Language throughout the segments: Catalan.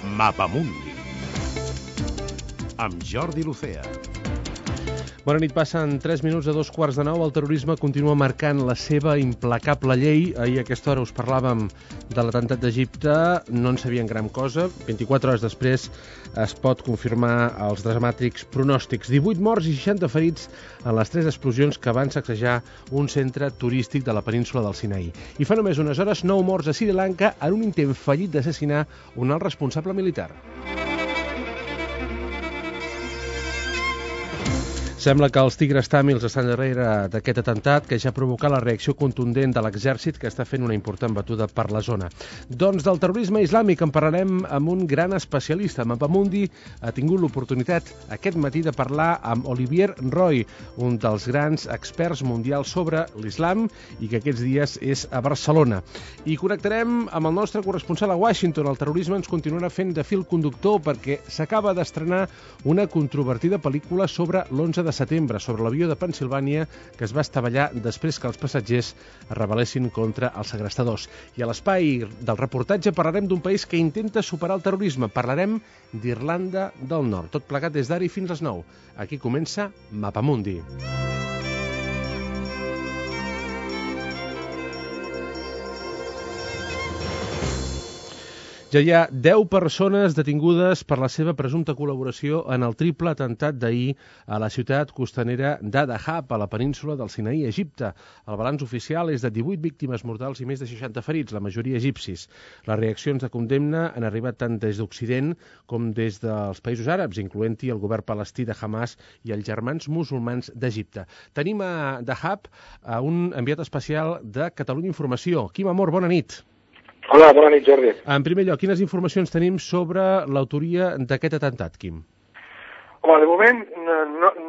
Mapamundi amb Jordi Lucea. Bona nit, passen 3 minuts a 2:15. El terrorisme continua marcant la seva implacable llei. Ahir a aquesta hora us parlàvem de l'atemptat d'Egipte, no en sabien gran cosa. 24 hores després es pot confirmar els dramàtics pronòstics. 18 morts i 60 ferits en les 3 explosions que van sacsejar un centre turístic de la península del Sinaí. I fa només unes hores 9 morts a Sri Lanka en un intent fallit d'assassinar un alt responsable militar. Sembla que els tigres tàmils estan darrere d'aquest atemptat que ja ha provocat la reacció contundent de l'exèrcit que està fent una important batuda per la zona. Doncs del terrorisme islàmic en parlarem amb un gran especialista. Mapamundi ha tingut l'oportunitat aquest matí de parlar amb Olivier Roy, un dels grans experts mundials sobre l'islam i que aquests dies és a Barcelona. I connectarem amb el nostre corresponsal a Washington. El terrorisme ens continuarà fent de fil conductor perquè s'acaba d'estrenar una controvertida pel·lícula sobre l'11 de setembre, sobre l'avió de Pennsilvània que es va estavellar després que els passatgers es rebel·lessin contra els segrestadors. I a l'espai del reportatge parlarem d'un país que intenta superar el terrorisme. Parlarem d'Irlanda del Nord. Tot plegat des d'ara i fins les 9. Aquí comença Mapamundi. Ja hi ha 10 persones detingudes per la seva presumpta col·laboració en el triple atemptat d'ahir a la ciutat costanera d'Adahab, a la península del Sinaí, Egipte. El balanç oficial és de 18 víctimes mortals i més de 60 ferits, la majoria egipcis. Les reaccions de condemna han arribat tant des d'Occident com des dels països àrabs, incloent-hi el govern palestí de Hamas i els germans musulmans d'Egipte. Tenim a Dahab un enviat especial de Catalunya Informació. Quim Amor, bona nit. Hola, bona nit, Jordi. En primer lloc, quines informacions tenim sobre l'autoria d'aquest atemptat, Quim? Home, de moment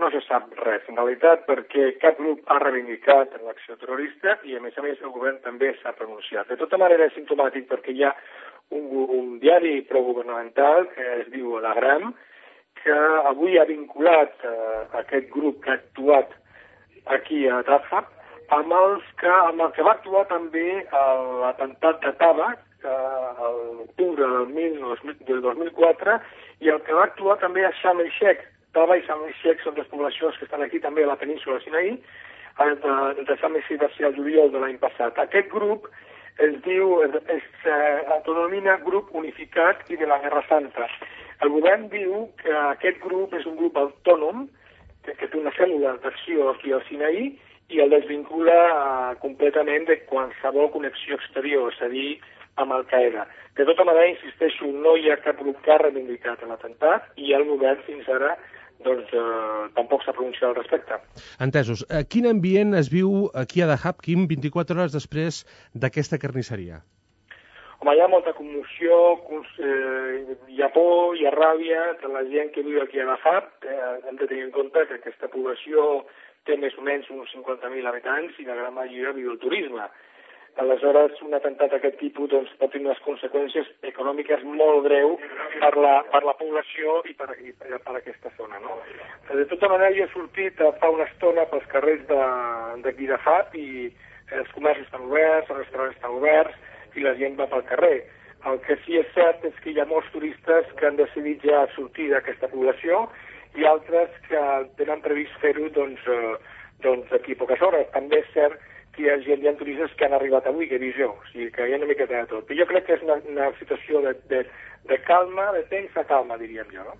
no se sap res, en realitat, perquè cap grup ha reivindicat l'acció terrorista i, a més el govern també s'ha pronunciat. De tota manera, és simptomàtic perquè hi ha un diari progovernamental que es diu L'Agram, que avui ha vinculat aquest grup que ha actuat aquí a Dahab amb el que va actuar també l'atemptat de Taba, a l'octubre del 2004, i el que va actuar també a Sharm el-Sheikh. Taba i Sharm el-Sheikh són dues poblacions que estan aquí també a la península de Sinaí. El de Sharm el-Sheikh va ser el juliol de l'any passat. Aquest grup es denomina Grup Unificat i de la Guerra Santa. El govern diu que aquest grup és un grup autònom que té una cèl·lula d'acció aquí al Sinaí i el desvincula completament de qualsevol connexió exterior, és a dir, amb Al-Qaeda. De tota manera, insisteixo, no hi ha cap grup que ha reivindicat l'atemptat i el govern fins ara tampoc s'ha pronunciat al respecte. Entesos. Quin ambient es viu aquí a Dahab, Quim, 24 hores després d'aquesta carnisseria? Home, hi ha molta commoció, hi ha por, hi ha ràbia de la gent que viu aquí a Dahab. Hem de tenir en compte que aquesta població té més o menys uns 50.000 habitants i la gran majoria viu el turisme. Aleshores, un atemptat d'aquest tipus pot tenir unes conseqüències econòmiques molt greus per la població i per aquesta zona. No? De tota manera, jo he sortit fa una estona pels carrers d'aquí de Dahab i els comerços estan oberts, els restaurants estan oberts i la gent va pel carrer. El que sí és cert és que hi ha molts turistes que han decidit ja sortir d'aquesta població i altres que tenen previst fer-ho d'aquí a poques hores. També és cert que hi ha turistes que han arribat avui, que he vist jo, o sigui que hi ha una miqueta de tot. Però jo crec que és una situació de calma, de tensa calma, diríem jo. No?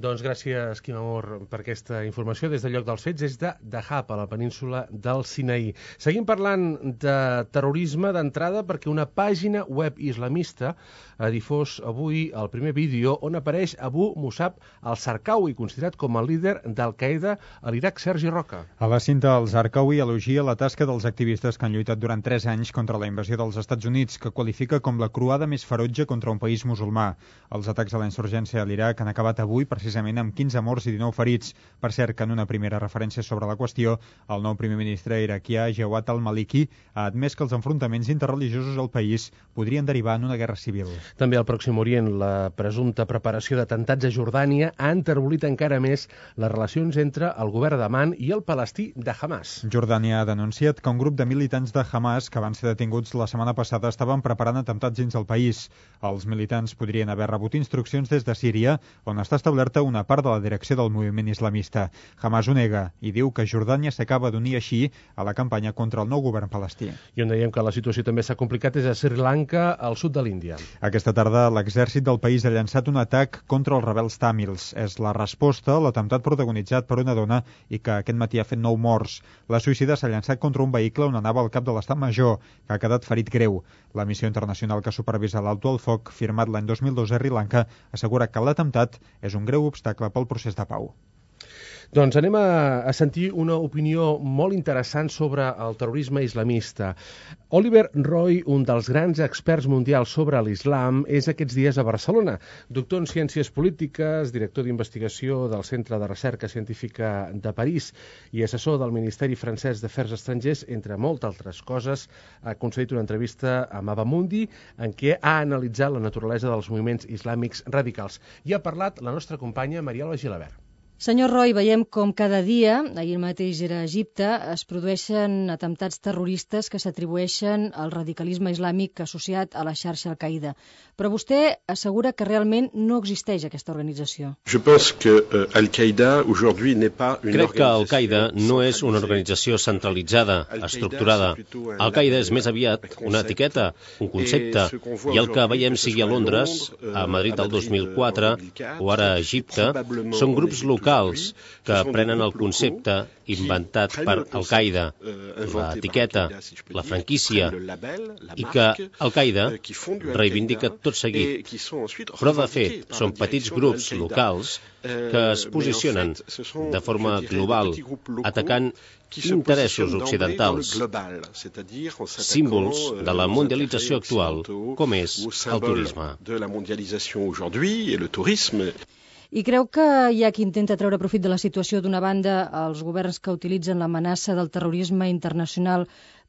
Doncs gràcies, Quim Amor, per aquesta informació. Des del lloc dels fets és de Dahab, a la península del Sinaí. Seguim parlant de terrorisme d'entrada perquè una pàgina web islamista ha difós avui el primer vídeo on apareix Abu Musab al-Zarqawi, considerat com el líder d'Al-Qaeda a l'Iraq. Sergi Roca. A la cinta, al-Zarqawi elogia la tasca dels activistes que han lluitat durant 3 anys contra la invasió dels Estats Units, que qualifica com la croada més ferotge contra un país musulmà. Els atacs a la insurgència a l'Iraq han acabat avui precisament amb 15 morts i 19 ferits. Per cert, que en una primera referència sobre la qüestió, el nou primer ministre iraquià, Jawad al-Maliki, ha admès que els enfrontaments interreligiosos al país podrien derivar en una guerra civil. També al Pròxim Orient, la presumpta preparació d'atemptats a Jordània ha enterbolit encara més les relacions entre el govern d'Amman i el palestí de Hamas. Jordània ha denunciat que un grup de militants de Hamas que van ser detinguts la setmana passada estaven preparant atemptats dins el país. Els militants podrien haver rebut instruccions des de Síria, on està establerta una part de la direcció del moviment islamista. Hamas ho nega i diu que Jordània s'acaba d'unir així a la campanya contra el nou govern palestí. I on dèiem que la situació també s'ha complicat és a Sri Lanka, al sud de l'Índia. Aquesta tarda l'exèrcit del país ha llançat un atac contra els rebels tàmils. És la resposta a l'atemptat protagonitzat per una dona i que aquest matí ha fet 9 morts. La suïcida s'ha llançat contra un vehicle on anava el cap de l'Estat Major, que ha quedat ferit greu. La missió internacional que supervisa l'alto al foc, firmat l'any 2002 a Sri Lanka, assegura que l'atemptat és un greu obstacle pel procés de pau. Doncs anem a sentir una opinió molt interessant sobre el terrorisme islamista. Oliver Roy, un dels grans experts mundials sobre l'islam, és aquests dies a Barcelona. Doctor en Ciències Polítiques, director d'investigació del Centre de Recerca Científica de París i assessor del Ministeri Francès d'Afers Estrangers, entre moltes altres coses, ha concedit una entrevista a Mabamundi en què ha analitzat la naturalesa dels moviments islàmics radicals. I ha parlat la nostra companya Mariela Gilabert. Senyor Roy, veiem com cada dia, ahir mateix era a Egipte, es produeixen atemptats terroristes que s'atribueixen al radicalisme islàmic associat a la xarxa Al-Qaida. Però vostè assegura que realment no existeix aquesta organització. Crec que Al-Qaida no és una organització centralitzada, estructurada. Al-Qaida és més aviat una etiqueta, un concepte, i el que veiem sigui a Londres, a Madrid del 2004 o ara a Egipte, són grups locals que prenen el concepte inventat per Al-Qaida, l'etiqueta, la franquícia, i que Al-Qaida reivindica tot seguit. Però, de fet, són petits grups locals que es posicionen de forma global, atacant interessos occidentals, símbols de la mundialització actual, com és el turisme. I creu que hi ha qui intenta treure profit de la situació, d'una banda, els governs que utilitzen l'amenaça del terrorisme internacional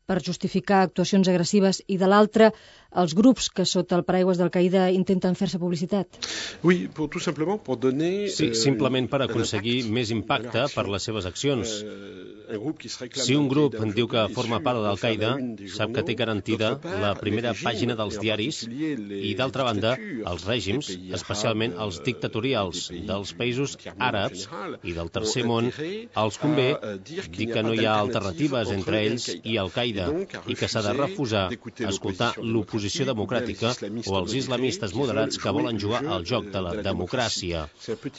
per justificar actuacions agressives i, de l'altra, els grups que sota el paraigües d'Al-Qaida intenten fer-se publicitat? Sí, simplement per aconseguir més impacte per les seves accions. Si un grup diu que forma part d'Al-Qaida, sap que té garantida la primera pàgina dels diaris i, d'altra banda, els règims, especialment els dictatorials dels països àrabs i del tercer món, els convé dir que no hi ha alternatives entre ells i Al-Qaida i que s'ha de refusar escoltar l'oposició democràtica o els islamistes moderats que volen jugar al joc de la democràcia.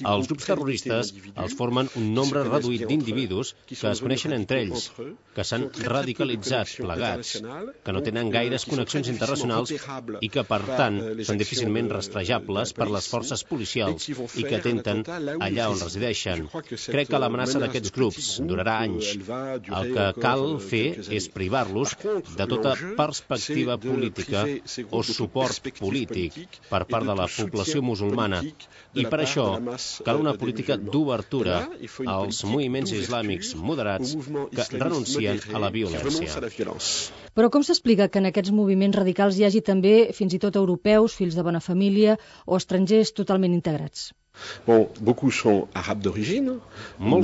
Els grups terroristes els formen un nombre reduït d'individus que es coneixen entre ells, que s'han radicalitzat plegats, que no tenen gaires connexions internacionals i que, per tant, són difícilment rastrejables per les forces policials i que atenten allà on resideixen. Crec que l'amenaça d'aquests grups durarà anys. El que cal fer és privar-los de tota perspectiva política o suport polític per part de la població musulmana. I per això cal una política d'obertura als moviments islàmics moderats que renuncien a la violència. Però com s'explica que en aquests moviments radicals hi hagi també, fins i tot europeus, fills de bona família o estrangers totalment integrats? Molts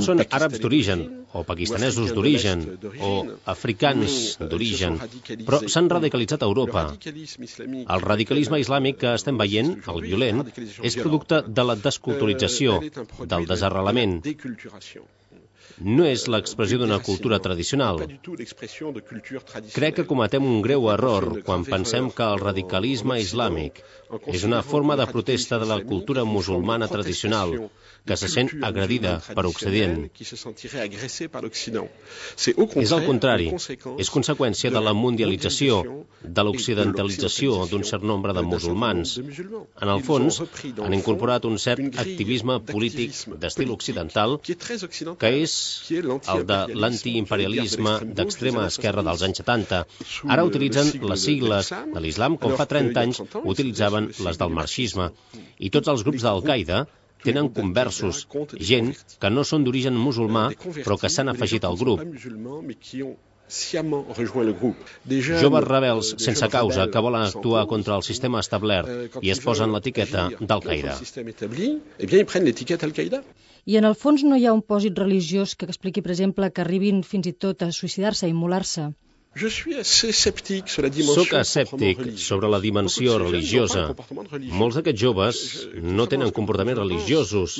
són àrabs d'origen, o pakistanesos d'origen, o africans d'origen, però s'han radicalitzat a Europa. El radicalisme islàmic que estem veient, el violent, és producte de la desculturització, del desarrelament. No és l'expressió d'una cultura tradicional. Crec que cometem un greu error quan pensem que el radicalisme islàmic és una forma de protesta de la cultura musulmana tradicional, que se sent agredida per Occident. És al contrari, és conseqüència de la mundialització, de l'occidentalització d'un cert nombre de musulmans. En el fons, han incorporat un cert activisme polític d'estil occidental, que és el de l'antiimperialisme d'extrema esquerra dels anys 70. Ara utilitzen les sigles de l'islam com fa 30 anys utilitzaven les del marxisme. I tots els grups d'Al-Qaida tenen conversos, gent que no són d'origen musulmà, però que s'han afegit al grup. Joves rebels sense causa que volen actuar contra el sistema establert i es posen l'etiqueta d'Al-Qaida. I en el fons no hi ha un pòsit religiós que expliqui, per exemple, que arribin fins i tot a suïcidar-se, a immolar-se? Soc escèptic sobre la dimensió religiosa. Molts d'aquests joves no tenen comportaments religiosos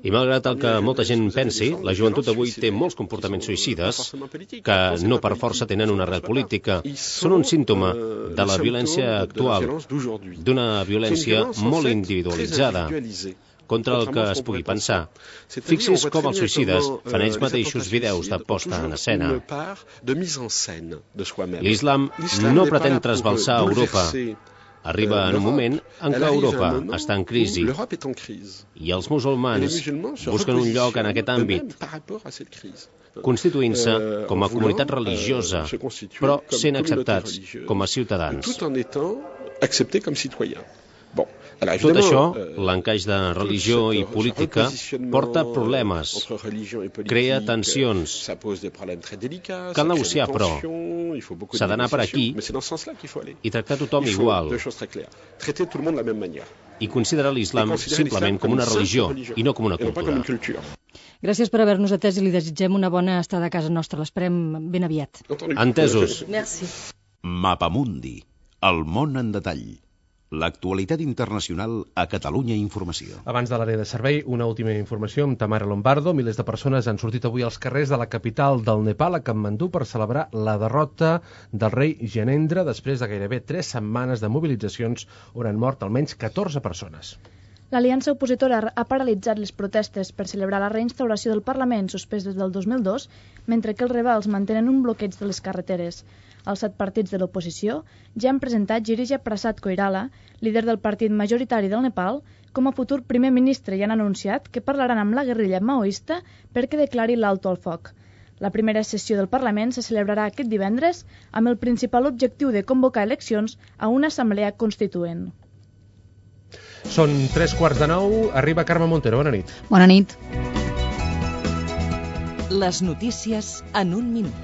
i malgrat el que molta gent pensi, la joventut d'avui té molts comportaments suïcides que no per força tenen una arrel política. Són un símptoma de la violència actual, d'una violència molt individualitzada contra el que es pugui pensar. Fixi's com els suïcides fan ells mateixos vídeos de posta en escena. L'islam no pretén trasbalsar Europa. Arriba en un moment en què Europa està en crisi i els musulmans busquen un lloc en aquest àmbit, constituint-se com a comunitat religiosa, però sent acceptats com a ciutadans. Tot això, l'encaix de religió i política, porta problemes, crea tensions. Cal negociar, però s'ha d'anar per aquí i tractar tothom igual. I considerar l'islam simplement com una religió i no com una cultura. Gràcies per haver-nos atès i li desitgem una bona estada a casa nostra. L'esperem ben aviat. Entesos. Merci. Mapamundi, el món en detall. L'actualitat internacional a Catalunya Informació. Abans de l'àrea de servei, una última informació amb Tamara Lombardo. Milers de persones han sortit avui als carrers de la capital del Nepal, a Katmandú, per celebrar la derrota del rei Gyanendra després de gairebé 3 setmanes de mobilitzacions on han mort almenys 14 persones. L'aliança opositora ha paralitzat les protestes per celebrar la reinstauració del Parlament suspès des del 2002, mentre que els rebels mantenen un bloqueig de les carreteres. Els 7 partits de l'oposició ja han presentat Girija Prasad Koirala, líder del partit majoritari del Nepal, com a futur primer ministre i han anunciat que parlaran amb la guerrilla maoista perquè declari l'alto al foc. La primera sessió del Parlament se celebrarà aquest divendres amb el principal objectiu de convocar eleccions a una assemblea constituent. Són 3:15, arriba Carme Montero. Bona nit. Bona nit. Les notícies en un minut.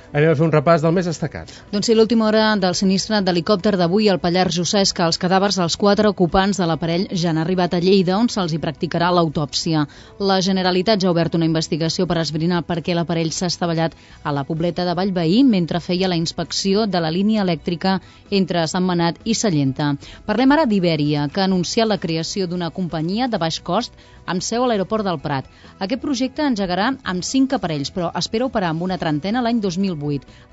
Anem a fer un repàs del més destacat. Doncs sí, l'última hora del sinistre d'helicòpter d'avui al Pallars Jussà és que els cadàvers dels 4 ocupants de l'aparell ja han arribat a Lleida, on se'ls hi practicarà l'autòpsia. La Generalitat ja ha obert una investigació per esbrinar per què l'aparell s'ha estavellat a la Pobleta de Vallveí mentre feia la inspecció de la línia elèctrica entre Sentmenat i Sallenta. Parlem ara d'Ibèria, que ha anunciat la creació d'una companyia de baix cost amb seu a l'aeroport del Prat. Aquest projecte engegarà amb 5 aparells, però espera operar amb una trentena l'any 2008.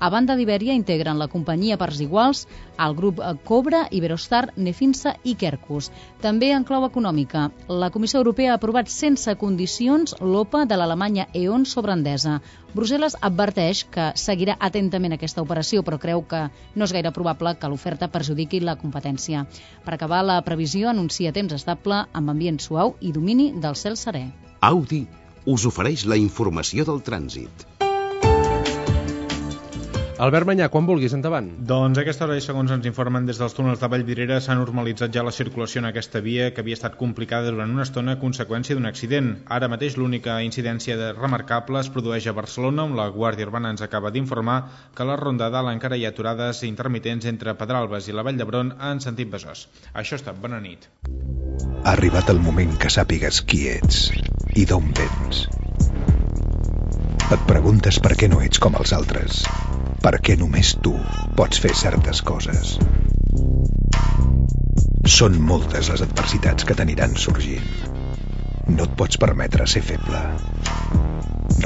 A banda d'Ibèria integren la companyia a parts iguals el grup Cobra, Iberostar, Nefinsa i Kerkus. També en clau econòmica, la Comissió Europea ha aprovat sense condicions l'OPA de l'Alemanya E.ON sobre Endesa. Brussel·les adverteix que seguirà atentament aquesta operació, però creu que no és gaire probable que l'oferta perjudiqui la competència. Per acabar, la previsió anuncia temps estable amb ambient suau i domini del cel serè. Audi us ofereix la informació del trànsit. Albert Manyà, quan vulguis, endavant. Doncs a aquesta hora, segons ens informen des dels túnels de Vallvidrera, s'ha normalitzat ja la circulació en aquesta via, que havia estat complicada durant una estona a conseqüència d'un accident. Ara mateix l'única incidència remarcable es produeix a Barcelona, on la Guàrdia Urbana ens acaba d'informar que a la Ronda Dalt encara hi ha aturades intermitents entre Pedralbes i la Vall d'Hebron en sentit Besòs. Això ha estat. Bona nit. Ha arribat el moment que sàpigues qui ets i d'on vens. Et preguntes per què no ets com els altres, per què només tu pots fer certes coses. Són moltes les adversitats que t'aniran sorgint. No et pots permetre ser feble.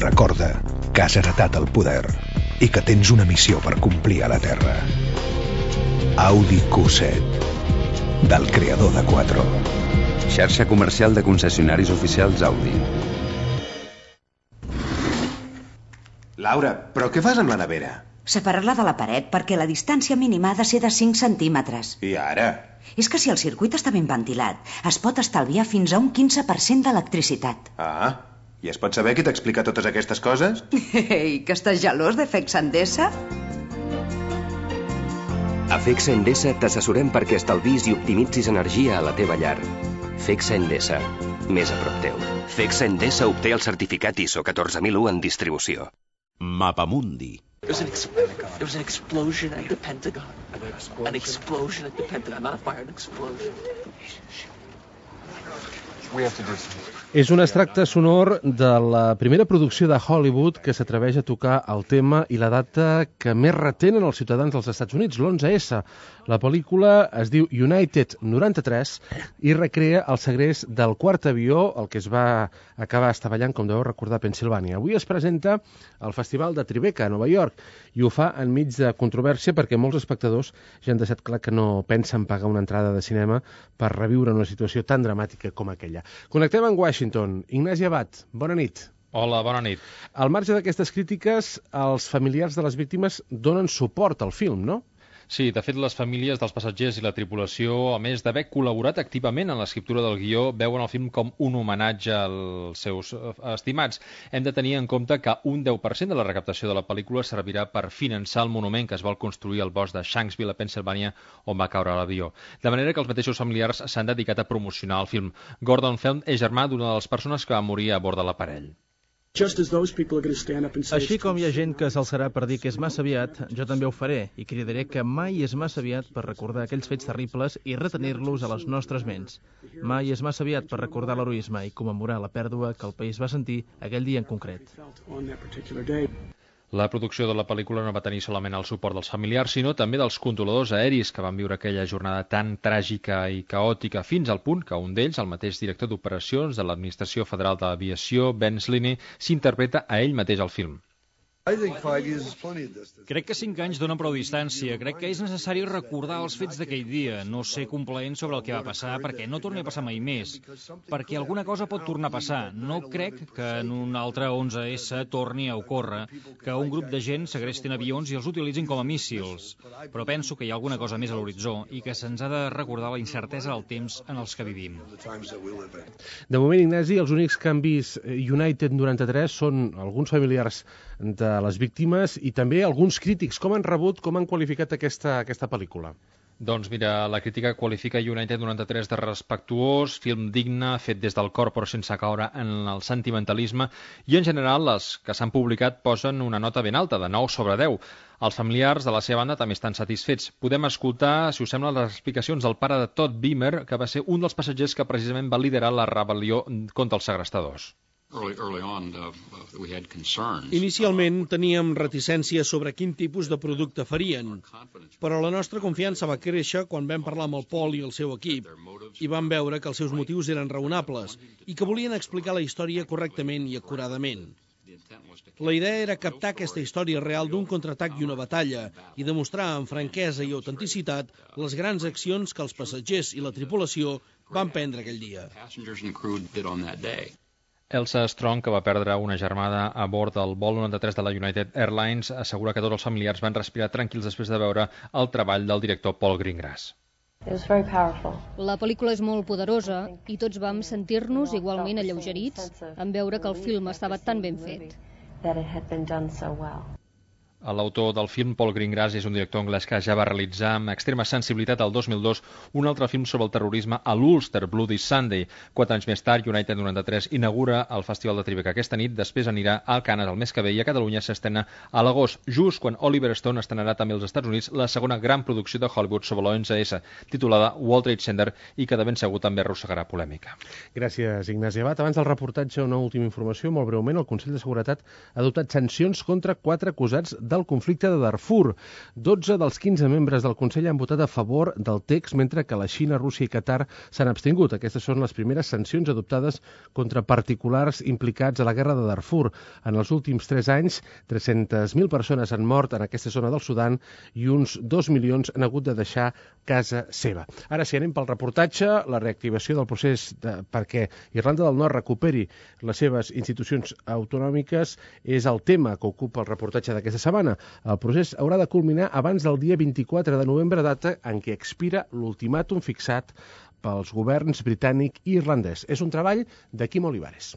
Recorda que has heretat el poder i que tens una missió per complir a la Terra. Audi Q7, del creador de Quattro. Xarxa comercial de concessionaris oficials Audi. Laura, però què fas amb la nevera? Separar-la de la paret perquè la distància mínima ha de ser de 5 centímetres. I ara? És que si el circuit està ben ventilat, es pot estalviar fins a un 15% d'electricitat. Ah, i es pot saber qui t'explica totes aquestes coses? Ei, que estàs gelós de FEX Endesa? A FEX Endesa t'assessorem perquè estalvis i optimitzis energia a la teva llar. FEX Endesa, més a prop teu. FEX Endesa obté el certificat ISO 14001 en distribució. Mapamundi. There was an explosion at the Pentagon. An explosion at the Pentagon. Not a fire, an explosion. És un extracte sonor de la primera producció de Hollywood que s'atreveix a tocar el tema i la data que més retenen els ciutadans dels Estats Units, l'11S. La pel·lícula es diu United 93 i recrea el segrest del quart avió, el que es va acabar estavellant, com deveu recordar, a Pennsilvània. Avui es presenta al Festival de Tribeca, a Nova York, i ho fa enmig de controvèrsia perquè molts espectadors ja han deixat clar que no pensen pagar una entrada de cinema per reviure una situació tan dramàtica com aquella. Connectem amb Washington. Ignasi Abad, bona nit. Hola, bona nit. Al marge d'aquestes crítiques, els familiars de les víctimes donen suport al film, no? Sí, de fet, les famílies dels passatgers i la tripulació, a més d'haver col·laborat activament en l'escriptura del guió, veuen el film com un homenatge als seus estimats. Hem de tenir en compte que un 10% de la recaptació de la pel·lícula servirà per finançar el monument que es vol construir al bosc de Shanksville, a Pennsilvània, on va caure l'avió. De manera que els mateixos familiars s'han dedicat a promocionar el film. Gordon Feld és germà d'una de les persones que va morir a bord de l'aparell. Així com hi ha gent que s'alçarà per dir que és massa aviat, jo també ho faré i cridaré que mai és massa aviat per recordar aquells fets terribles i retenir-los a les nostres ments. Mai és massa aviat per recordar l'heroisme i commemorar la pèrdua que el país va sentir aquell dia en concret. La producció de la pel·lícula no va tenir solament el suport dels familiars, sinó també dels controladors aeris que van viure aquella jornada tan tràgica i caòtica, fins al punt que un d'ells, el mateix director d'operacions de l'Administració Federal d'Aviació, Ben Sliney, s'interpreta a ell mateix al film. Crec que 5 anys donen prou distància. Crec que és necessari recordar els fets d'aquell dia, no ser complaent sobre el que va passar perquè no torni a passar mai més, perquè alguna cosa pot tornar a passar. No crec que en un altre 11S torni a ocórrer que un grup de gent segrestin avions i els utilitzin com a míssils, però penso que hi ha alguna cosa més a l'horitzó i que se'ns ha de recordar la incertesa del temps en els que vivim. De moment, Ignasi, els únics canvis United 93 són alguns familiars de les víctimes i també alguns crítics. Com han rebut, com han qualificat aquesta pel·lícula? Doncs mira, la crítica qualifica United 93 de respectuós, film digne, fet des del cor però sense caure en el sentimentalisme, i en general les que s'han publicat posen una nota ben alta, de 9 sobre 10. Els familiars de la seva banda també estan satisfets. Podem escoltar, si us sembla, les explicacions del pare de Todd Beamer, que va ser un dels passatgers que precisament va liderar la rebel·lió contra els segrestadors. Inicialment teníem reticències sobre quin tipus de producte farien, però la nostra confiança va créixer quan vam parlar amb el Paul i el seu equip i vam veure que els seus motius eren raonables i que volien explicar la història correctament i acuradament. La idea era captar aquesta història real d'un contraatac i una batalla i demostrar amb franquesa i autenticitat les grans accions que els passatgers i la tripulació van prendre aquell dia. Elsa Strong, que va perdre una germana a bord del vol 93 de la United Airlines, assegura que tots els familiars van respirar tranquils després de veure el treball del director Paul Greengrass. La pel·lícula és molt poderosa i tots vam sentir-nos igualment alleugerits en veure que el film estava tan ben fet. L'autor del film, Paul Greengrass, és un director anglès que ja va realitzar amb extrema sensibilitat el 2002 un altre film sobre el terrorisme a l'Ulster, Bloody Sunday. 4 anys més tard, United 93 inaugura el Festival de Tribeca aquesta nit, després anirà al Canes el mes que ve i a Catalunya s'estrena a l'agost, just quan Oliver Stone estrenarà també als Estats Units la segona gran producció de Hollywood sobre l'11S, titulada World Trade Center, i que de ben segur també arrossegarà polèmica. Gràcies, Ignasi Abad. Abans del reportatge, una última informació, molt breument. El Consell de Seguretat ha adoptat sancions contra 4 acusats del conflicte de Darfur. 12 dels 15 membres del Consell han votat a favor del text, mentre que la Xina, Rússia i Qatar s'han abstingut. Aquestes són les primeres sancions adoptades contra particulars implicats a la guerra de Darfur. En els últims 3 anys, 300.000 persones han mort en aquesta zona del Sudan i uns 2 milions han hagut de deixar casa seva. Ara, si anem pel reportatge, la reactivació del procés perquè Irlanda del Nord recuperi les seves institucions autonòmiques és el tema que ocupa el reportatge d'aquesta setmana. El procés haurà de culminar abans del dia 24 de novembre, data en què expira l'ultimàtum fixat pels governs britànic i irlandès. És un treball de Quim Olivares.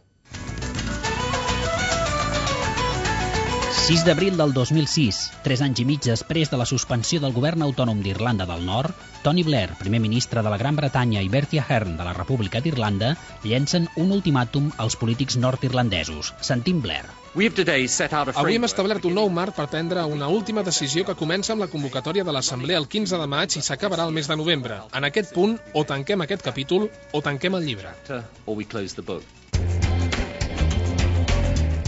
6 d'abril del 2006, 3 anys i mig després de la suspensió del govern autònom d'Irlanda del Nord, Tony Blair, primer ministre de la Gran Bretanya, i Bertie Ahern, de la República d'Irlanda, llencen un ultimàtum als polítics nord-irlandesos. Sentim Blair. Avui hem establert un nou marc per prendre una última decisió que comença amb la convocatòria de l'Assemblea el 15 de maig i s'acabarà el mes de novembre. En aquest punt, o tanquem aquest capítol o tanquem el llibre.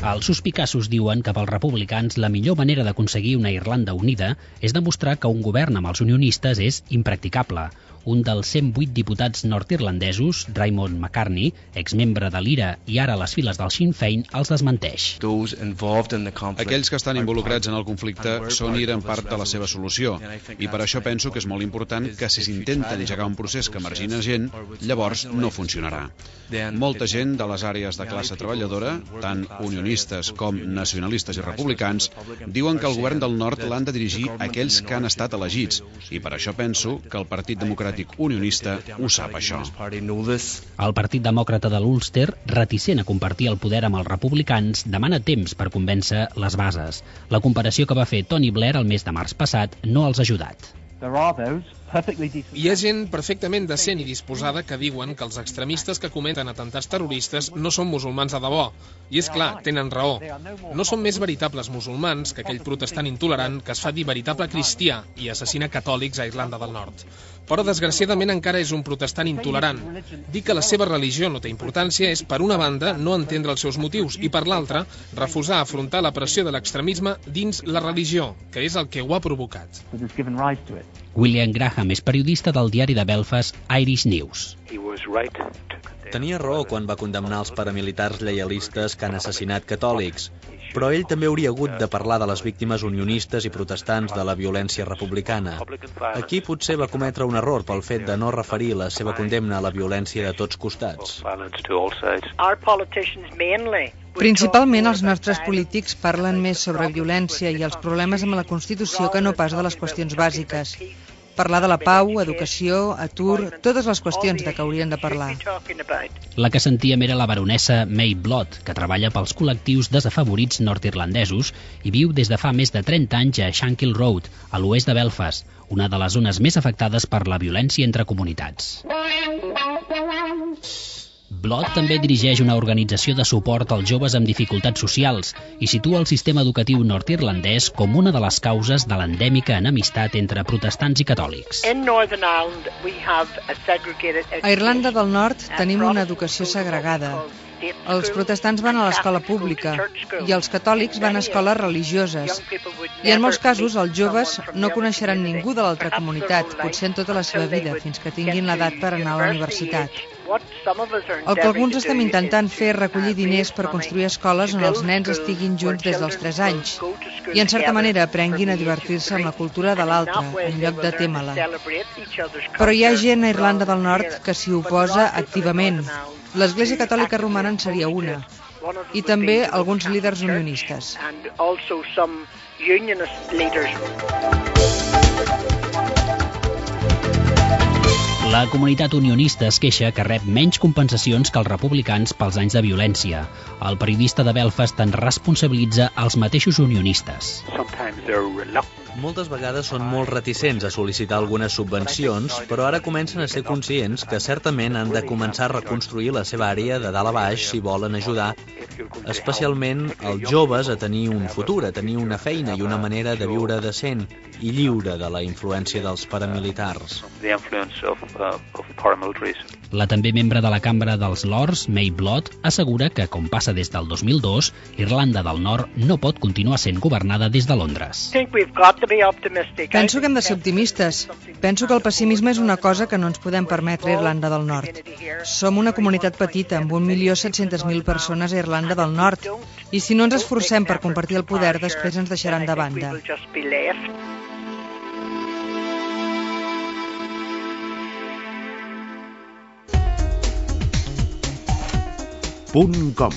Els suspicassos diuen que pels republicans la millor manera d'aconseguir una Irlanda unida és demostrar que un govern amb els unionistes és impracticable. Un dels 108 diputats nord-irlandesos, Raymond McCartney, exmembre de l'IRA i ara a les files del Sinn Féin, els desmenteix. Aquells que estan involucrats en el conflicte són i eren part de la seva solució, i per això penso que és molt important que si s'intenta engegar un procés que margina gent, llavors no funcionarà. Molta gent de les àrees de classe treballadora, tant unionistes com nacionalistes i republicans, diuen que el govern del nord l'han de dirigir aquells que han estat elegits, i per això penso que el Partit Democràtic Unionista ho sap, això. El Partit Demòcrata de l'Ulster, reticent a compartir el poder amb els republicans, demana temps per convèncer les bases. La comparació que va fer Tony Blair el mes de març passat no els ha ajudat. Hi ha gent perfectament decent i disposada que diuen que els extremistes que cometen atentats terroristes no són musulmans de debò. I és clar, tenen raó. No són més veritables musulmans que aquell protestant intolerant que es fa dir veritable cristià i assassina catòlics a Irlanda del Nord. Però, desgraciadament, encara és un protestant intolerant. Dir que la seva religió no té importància és, per una banda, no entendre els seus motius i, per l'altra, refusar afrontar la pressió de l'extremisme dins la religió, que és el que ho ha provocat. William Graham és periodista del diari de Belfast Irish News. Tenia raó quan va condemnar els paramilitars lleialistes que han assassinat catòlics, però ell també hauria hagut de parlar de les víctimes unionistes i protestants de la violència republicana. Aquí potser va cometre un error pel fet de no referir la seva condemna a la violència de tots costats. Principalment els nostres polítics parlen més sobre violència i els problemes amb la Constitució que no pas de les qüestions bàsiques. Parlar de la pau, educació, atur, totes les qüestions de què haurien de parlar. La que sentíem era la baronessa May Blood, que treballa pels col·lectius desafavorits nord-irlandesos i viu des de fa més de 30 anys a Shankill Road, a l'oest de Belfast, una de les zones més afectades per la violència entre comunitats. Blood també dirigeix una organització de suport als joves amb dificultats socials i situa el sistema educatiu nord-irlandès com una de les causes de l'endèmica enemistat entre protestants i catòlics. A Irlanda del Nord tenim una educació segregada. Els protestants van a l'escola pública i els catòlics van a escoles religioses. I en molts casos els joves no coneixeran ningú de l'altra comunitat, potser en tota la seva vida, fins que tinguin l'edat per anar a la universitat. El que alguns estem intentant fer és recollir diners per construir escoles on els nens estiguin junts des dels 3 anys i en certa manera aprenguin a divertir-se amb la cultura de l'altre, en lloc de témer-la. Però hi ha gent a Irlanda del Nord que s'hi oposa activament. L'Església Catòlica Romana en seria una, i també alguns líders unionistes. La comunitat unionista es queixa que rep menys compensacions que els republicans pels anys de violència. El periodista de Belfast en responsabilitza els mateixos unionistes. Moltes vegades són molt reticents a sol·licitar algunes subvencions, però ara comencen a ser conscients que certament han de començar a reconstruir la seva àrea de dalt a baix si volen ajudar, especialment els joves a tenir un futur, a tenir una feina i una manera de viure decent i lliure de la influència dels paramilitars. La també membre de la Cambra dels Lords, May Blood, assegura que, com passa des del 2002, Irlanda del Nord no pot continuar sent governada des de Londres. Penso que hem de ser optimistes. Penso que el pessimisme és una cosa que no ens podem permetre a Irlanda del Nord. Som una comunitat petita, amb 1.700.000 persones a Irlanda del Nord, i si no ens esforcem per compartir el poder, després ens deixaran de banda. .com,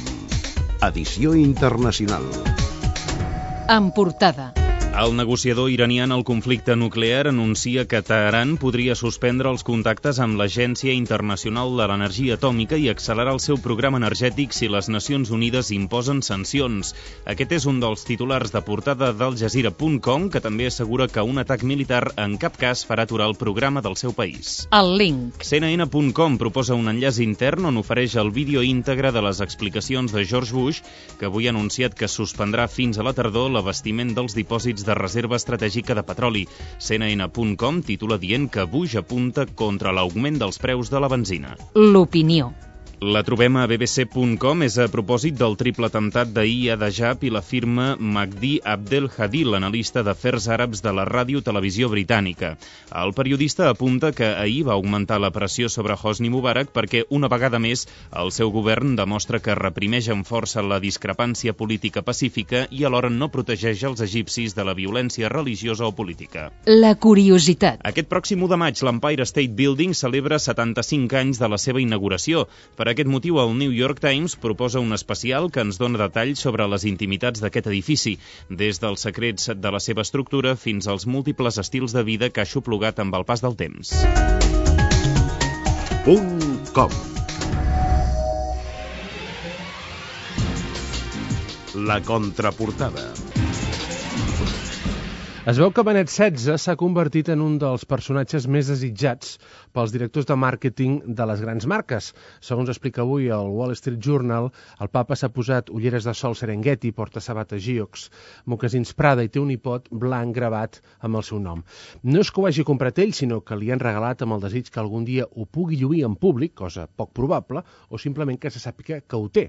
edició internacional. En portada. El negociador iranià en el conflicte nuclear anuncia que Teheran podria suspendre els contactes amb l'Agència Internacional de l'Energia Atòmica i accelerar el seu programa energètic si les Nacions Unides imposen sancions. Aquest és un dels titulars de portada d'Aljazeera.com, que també assegura que un atac militar en cap cas farà aturar el programa del seu país. El link. CNN.com proposa un enllaç intern on ofereix el vídeo íntegre de les explicacions de George Bush, que avui ha anunciat que suspendrà fins a la tardor l'abastiment dels dipòsits de reserva estratègica de petroli. CNN.com titula dient que Bush apunta contra l'augment dels preus de la benzina. L'opinió. La trobem a bbc.com, és a propòsit del triple atemptat d'ahir a Dajab i la firma Mahdi Abdel Hadi, l'analista d'afers àrabs de la ràdio-televisió britànica. El periodista apunta que ahir va augmentar la pressió sobre Hosni Mubarak perquè, una vegada més, el seu govern demostra que reprimeix amb força la discrepància política pacífica i alhora no protegeix els egipcis de la violència religiosa o política. La curiositat. Aquest pròxim 1 de maig, l'Empire State Building celebra 75 anys de la seva inauguració. Per aquest motiu, el New York Times proposa un especial que ens dona detalls sobre les intimitats d'aquest edifici, des dels secrets de la seva estructura fins als múltiples estils de vida que ha xuplugat amb el pas del temps. .com. La contraportada. Es veu que Benet XVI s'ha convertit en un dels personatges més desitjats pels directors de màrqueting de les grans marques. Segons explica avui el Wall Street Journal, el papa s'ha posat ulleres de sol Serengeti, porta sabates Geox, mocasins Prada i té un nipot blanc gravat amb el seu nom. No és que ho hagi comprat ell, sinó que li han regalat amb el desig que algun dia ho pugui lluir en públic, cosa poc probable, o simplement que se sàpiga que ho té.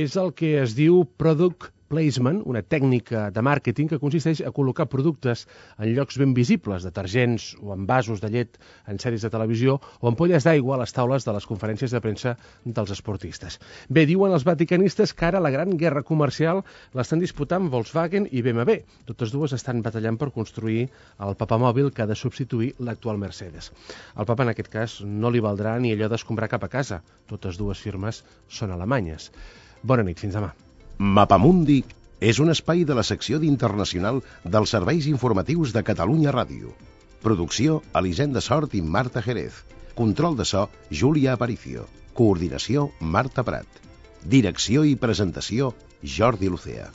És el que es diu product placement, una tècnica de màrqueting que consisteix a col·locar productes en llocs ben visibles, detergents o envasos de llet en sèries de televisió o ampolles d'aigua a les taules de les conferències de premsa dels esportistes. Bé, diuen els vaticanistes que ara la gran guerra comercial l'estan disputant Volkswagen i BMW. Totes dues estan batallant per construir el papamòbil que ha de substituir l'actual Mercedes. Al papa, en aquest cas, no li valdrà ni allò d'escombrar cap a casa. Totes dues firmes són alemanyes. Bona nit, fins demà. Mapamundi és un espai de la secció d'Internacional dels serveis informatius de Catalunya Ràdio. Producció, Elisenda Sort i Marta Jerez. Control de so, Júlia Aparicio. Coordinació, Marta Prat. Direcció i presentació, Jordi Lucea.